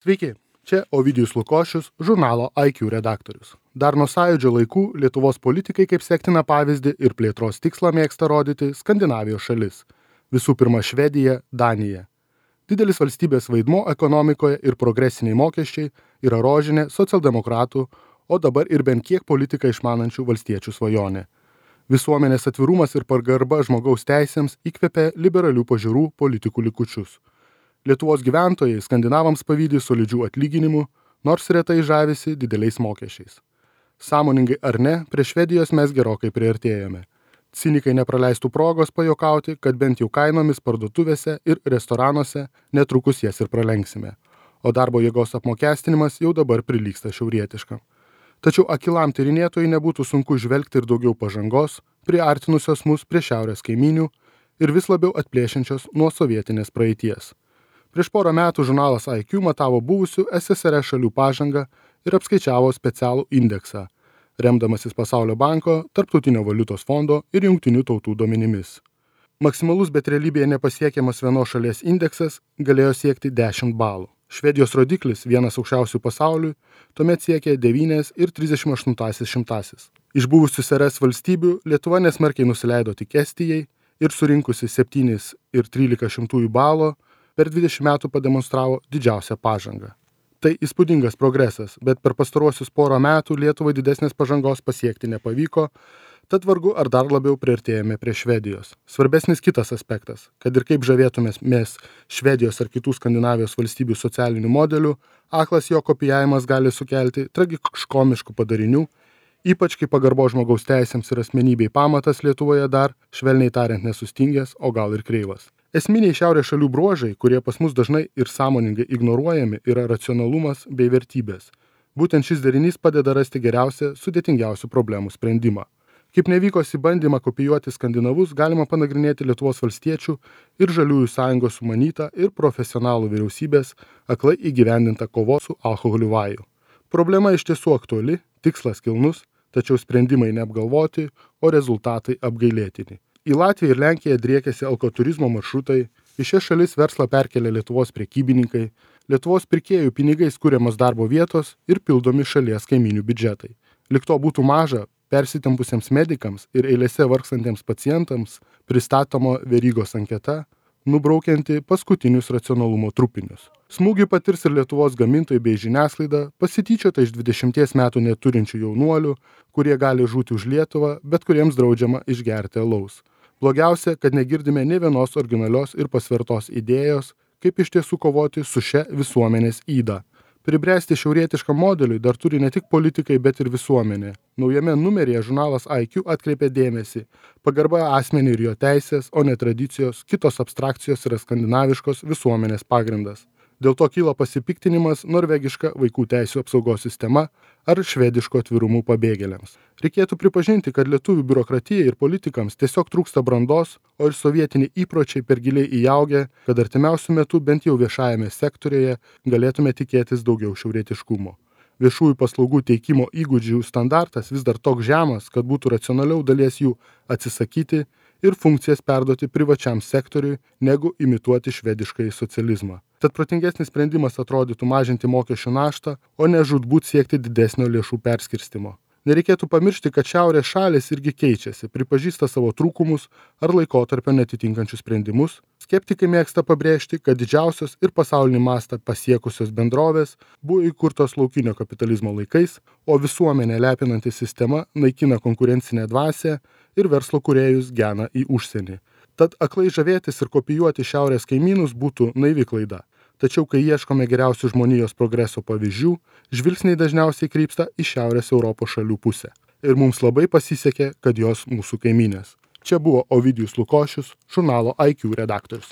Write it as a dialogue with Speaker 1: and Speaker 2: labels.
Speaker 1: Sveiki, čia Ovidijus Lukošius, žurnalo IQ redaktorius. Dar nuo Sąjūdžio laikų Lietuvos politikai kaip sektiną pavyzdį ir plėtros tikslą mėgsta rodyti Skandinavijos šalis. Visų pirma Švedija, Danija. Didelis valstybės vaidmuo ekonomikoje ir progresiniai mokesčiai yra rožinė socialdemokratų, o dabar ir bent kiek politiką išmanančių valstiečių svajonė. Visuomenės atvirumas ir pagarba žmogaus teisėms įkvepia liberalių pažiūrų politikų likučius. Lietuvos gyventojai skandinavams pavydi solidžių atlyginimų, nors retai žavisi dideliais mokesčiais. Sąmoningai ar ne, prie Švedijos mes gerokai priartėjome. Cinikai nepraleistų progos pajokauti, kad bent jau kainomis parduotuvėse ir restoranuose netrukus jas ir pralenksime. O darbo jėgos apmokestinimas jau dabar prilygsta šiaurietiškam. Tačiau akilam tyrinėtojai nebūtų sunku žvelgti ir daugiau pažangos, priartinusios mus prie šiaurės kaimynių ir vis labiau atplėšiančios nuo sovietinės praeities. Prieš porą metų žurnalas IQ matavo buvusių SSRS šalių pažangą ir apskaičiavo specialų indeksą, remdamasis Pasaulio banko, Tarptautinio valiutos fondo ir Jungtinių tautų duomenimis. Maksimalus, bet realybėje nepasiekiamas vienos šalies indeksas galėjo siekti 10 balų. Švedijos rodiklis, vienas aukščiausių pasaulių, tuomet siekė 9,38. Iš buvusių SRS valstybių Lietuva nesmarkiai nusileido tik Estijai ir surinkusi 7,13 balo per 20 metų pademonstravo didžiausią pažangą. Tai įspūdingas progresas, bet per pastaruosius porą metų Lietuvai didesnės pažangos pasiekti nepavyko, tad vargu ar dar labiau priartėjome prie Švedijos. Svarbesnis kitas aspektas, kad ir kaip žavėtumės mes Švedijos ar kitų Skandinavijos valstybių socialinių modelių, aklas jo kopijavimas gali sukelti tragiškomiškų padarinių, ypač kai pagarbo žmogaus teisėms ir asmenybei pamatas Lietuvoje dar, švelniai tariant, nesustingęs, o gal ir kreivas. Esminiai šiaurės šalių bruožai, kurie pas mus dažnai ir sąmoningai ignoruojami, yra racionalumas bei vertybės. Būtent šis derinys padeda rasti geriausią, sudėtingiausių problemų sprendimą. Kaip nevykosi bandymą kopijuoti skandinavus, galima panagrinėti Lietuvos valstiečių ir Žaliųjų sąjungos sumanytą ir profesionalų vyriausybės aklai įgyvendintą kovos su alkoholiu vajų. Problema iš tiesų aktuali, tikslas kilnus, tačiau sprendimai neapgalvoti, o rezultatai apgailėtini. Į Latviją ir Lenkiją driekėsi alkoturizmo maršrutai, į šias šalis verslą perkelė Lietuvos prekybininkai, Lietuvos pirkėjų pinigais kuriamos darbo vietos ir pildomi šalies kaiminių biudžetai. Lyg to būtų maža, persitempusiems medikams ir eilėse vargstantiems pacientams pristatoma verygos anketa, nubraukianti paskutinius racionalumo trupinius. Smūgį patirs ir Lietuvos gamintojai bei žiniasklaida, pasityčiota iš 20 metų neturinčių jaunuolių, kurie gali žūti už Lietuvą, bet kuriems draudžiama išgerti alaus. Blogiausia, kad negirdime nė vienos originalios ir pasvertos idėjos, kaip iš tiesų kovoti su šia visuomenės yda. Pribręsti šiaurietiškam modeliui dar turi ne tik politikai, bet ir visuomenė. Naujame numeryje žurnalas IQ atkreipė dėmesį. Pagarba asmeniui ir jo teisės, o ne tradicijos, kitos abstrakcijos yra skandinaviškos visuomenės pagrindas. Dėl to kyla pasipiktinimas norvegiška vaikų teisių apsaugos sistema ar švediško atvirumu pabėgėliams. Reikėtų pripažinti, kad lietuvių biurokratijai ir politikams tiesiog trūksta brandos, o ir sovietiniai įpročiai per giliai įaugę, kad artimiausiu metu bent jau viešajame sektoriuje galėtume tikėtis daugiau šiaurietiškumo. Viešųjų paslaugų teikimo įgūdžių standartas vis dar toks žemas, kad būtų racionaliau dalies jų atsisakyti ir funkcijas perduoti privačiam sektoriui, negu imituoti švediškąjį socializmą. Tad protingesnis sprendimas atrodytų mažinti mokesčių naštą, o ne žūtbūt siekti didesnio lėšų perskirstimo. Nereikėtų pamiršti, kad šiaurės šalys irgi keičiasi, pripažįsta savo trūkumus ar laikotarpio netitinkančius sprendimus. Skeptikai mėgsta pabrėžti, kad didžiausios ir pasaulinį mastą pasiekusios bendrovės buvo įkurtos laukinio kapitalizmo laikais, o visuomenė lepinanti sistema naikina konkurencinę dvasią ir verslo kūrėjus gena į užsienį. Tad aklai žavėtis ir kopijuoti šiaurės kaimynus būtų naivi klaida. Tačiau, kai ieškome geriausių žmonijos progreso pavyzdžių, žvilgsniai dažniausiai krypsta į Šiaurės Europos šalių pusę. Ir mums labai pasisekė, kad jos mūsų kaimynės. Čia buvo Ovidijus Lukošius, žurnalo IQ redaktorius.